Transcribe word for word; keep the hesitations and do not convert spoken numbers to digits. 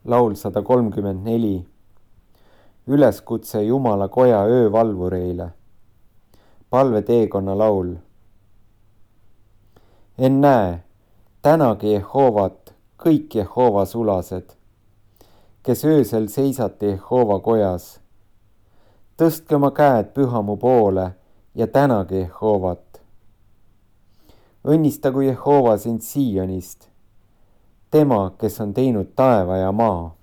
laul sada kolmkümmend neli. Üleskutse Jumala koja öövalvureile. Palveteekonna laul. Ennäe, tänagi Jehovat kõik Jehova sulased, kes öösel seisate Jehova kojas. Tõstke oma käed pühamu poole ja tänage Jehovat. Õnnistagu Jehova sind Siionist, tema, kes on teinud taeva ja maa.